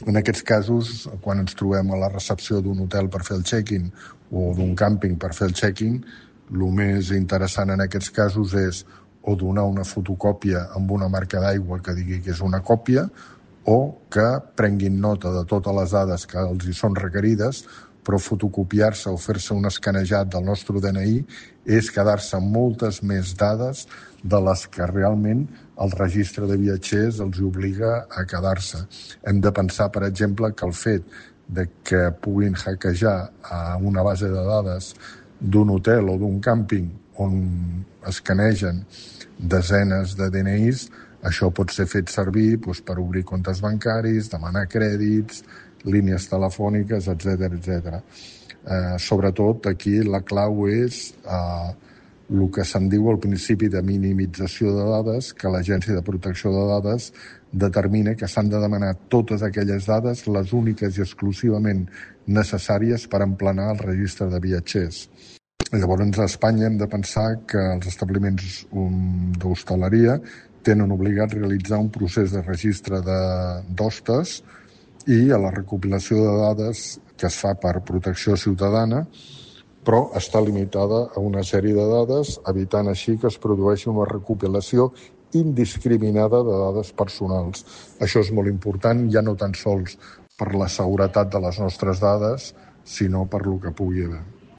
En aquests casos, quan ens trobem a la recepció d'un hotel per fer el check-in o d'un càmping per fer el check-in, el més interessant en aquests casos és o donar una fotocòpia amb una marca d'aigua que digui que és una còpia o que prenguin nota de totes les dades que els hi són requerides, però fotocopiar-se o fer-se un escanejat del nostre DNI és quedar-se amb moltes més dades de les que realment el registre de viatgers els obliga a quedar-se. Hem de pensar, per exemple, que el fet de que puguin hackejar a una base de dades d'un hotel o d'un càmping on escanegen desenes de DNIs, això pot ser fet servir per obrir comptes bancaris, demanar crèdits, línies telefòniques, etc. Sobretot aquí la clau és el que se'n diu el principi de minimització de dades, que l'Agència de Protecció de Dades determina que s'han de demanar totes aquelles dades, les úniques i exclusivament necessàries per emplenar el registre de viatgers. Llavors, a Espanya hem de pensar que els establiments d'hostaleria tenen obligat realitzar un procés de registre d'hostes i a la recopilació de dades que es fa per protecció ciutadana, però està limitada a una sèrie de dades, evitant així que es produeixi una recopilació indiscriminada de dades personals. Això és molt important, ja no tan sols per la seguretat de les nostres dades, sinó per lo que pugui haver.